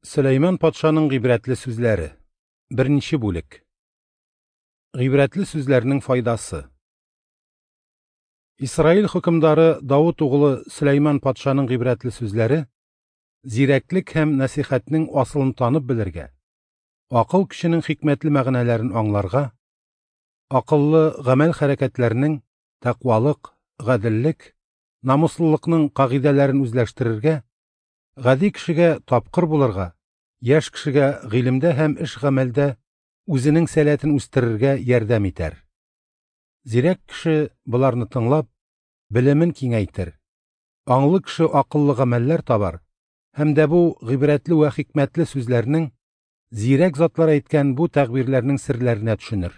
Сөләйман патшаның гыйбрәтле сүзләре. Беренче бүлек. Гыйбрәтле сүзләрнең файдасы. Исраил хөкемдары Давыт углы Сөләйман патшаның гыйбрәтле сүзләре зирәклек һәм нәсыйхәтнең асылын танып белергә, акыл көченең хикмәтле мәгънәләрен аңларга, акыллы гамәл-хәрәкәтләрнең тәкъвалык, гаделлек, намуслылыкның кагыйдәләрен үзләштерергә, гади кешегә тапкыр булырга, яшь кешегә гыйлемдә һәм эш-гамәлдә үзенең сәләтен үстерергә ярдәм итәр. Зирәк кеше боларны тыңлап, белемен киңәйтер. Аңлы кеше акыллы гамәлләр табар һәм дә бу гыйбрәтле вә хикмәтле сүзләрнең, зирәк затлар әйткән бу тәгъбирләрнең серләренә төшенер.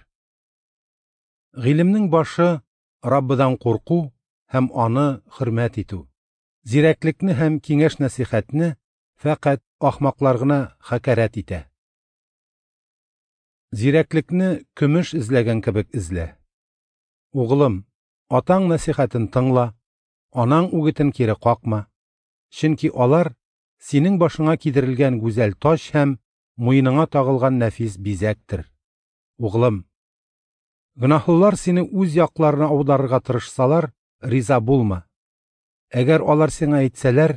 Гыйлемнең башы Раббыдан курку һәм аны хөрмәт итү. Зирәклекне һәм киңәш-нәсыйхәтне фәкать ахмаклар гына хакәрәт итә. Зирәклекне көмеш эзләгән кебек эзлә. Углым, атаң нәсыйхәтен тыңла, анаң үгетен кире какма. Чөнки алар синең башыңа кидерелгән гүзәл таҗ һәм муеныңа тагылган нәфис бизәктер. Углым, гөнаһлылар сине үз якларына аударырга тырышсалар, риза булма. Әгәр алар сиңа әйтсәләр,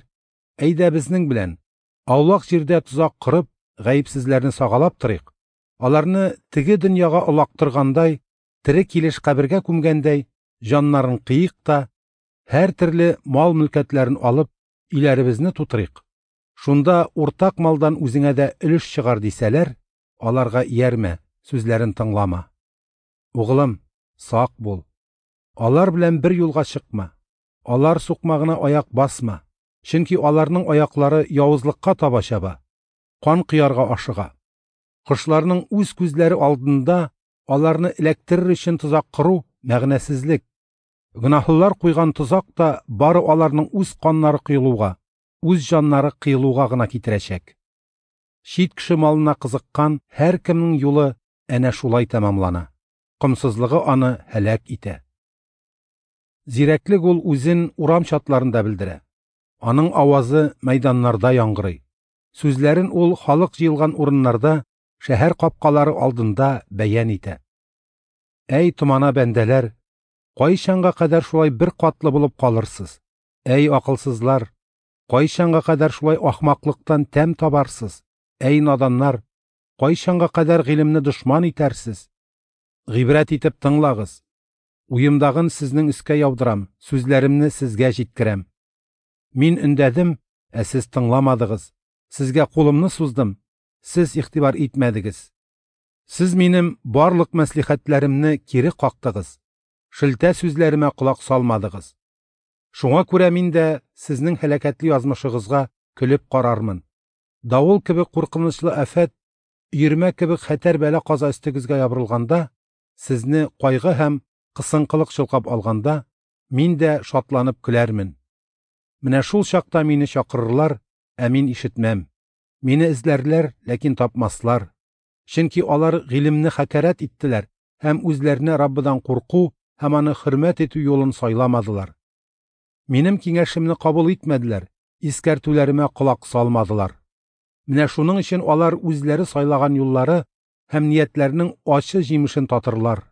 әйдә безнең белән, аулак җирдә тозак корып, гаепсезләрне сагалап торыйк, аларны теге дөньяга олактыргандай, тере килеш кабергә күмгәндәй, җаннарын кыйык та, һәр төрле мал-мөлкәтләрен алып, өйләребезне тутырыйк. Шунда уртак малдан үзеңә дә өлеш чыгар дисәләр, аларга иярмә, сүзләрен тыңлама. Углым, сак бул. Алар белән бер юлга чыкма. Алар сукмагына аяк басма, чөнки аларның аяклары явызлыкка таба чаба, кан коярга ашыга. Кошларның үз күзләре алдында аларны эләктерер өчен тозак кору мәгънәсезлек. Гөнаһлылар куйган тозак та бары аларның үз каннары коелуга, үз җаннары кыелуга гына китерәчәк. Чит кеше малына кызыккан һәркемнең юлы әнә шулай тәмамлана. Комсызлыгы аны һәлак итә. Зирәклек ул үзен урам чатларында белдерә. Аның авазы мәйданнарда яңгырый. Сүзләрен ул халык җыелган урыннарда, шәһәр капкалары алдында бәян итә. Әй томана бәндәләр, кайчанга кадәр шулай бер катлы булып калырсыз? Әй акылсызлар, кайчанга кадәр шулай ахмаклыктан тәм табарсыз? Әй наданнар, кайчанга кадәр гыйлемне дошман итәрсез? Гыйбрәт итеп тыңлагыз. Уемдагын сезнең өскә яудырам, сүзләремне сезгә җиткерәм. Мин өндәдем, ә сез тыңламадыгыз. Сезгә кулымны суздым, сез игътибар итмәдегез. Сез минем барлык мәслихәтләремне кире кактыгыз. Шелтә сүзләремә колак салмадыгыз. Шуңа күрә мин дә сезнең һәлакәтле язмышыгызга көлеп карармын. Давыл кебек куркынычлы афәт, өермә кебек хәтәр бәла-каза өстегезгә ябырылганда, сезне кайгы һәм кысынкылык чолкап алганда, мин дә шатланып көләрмен. Менә шул чакта мине чакырырлар, ә мин ишетмәм. Мине эзләрләр, ләкин тапмаслар. Чөнки алар гыйлемне хакәрәт иттеләр һәм үзләренә Раббыдан курку һәм аны хөрмәт итү юлын сайламадылар. Минем киңәшемне кабул итмәделәр, искәртүләремә колак салмадылар. Менә шуның өчен алар үзләре сайлаган юллары һәм ниятләренең ачы җимешен татырлар.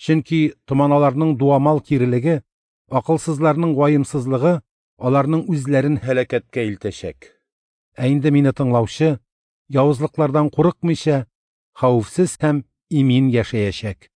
Чөнки томаналарның дуамал кирелеге, акылсызларның ваемсызлыгы аларның үзләрен һәлакәткә илтәчәк. Ә инде мине тыңлаучы, явызлыклардан курыкмыйча, хәвефсез һәм имин яшәячәк.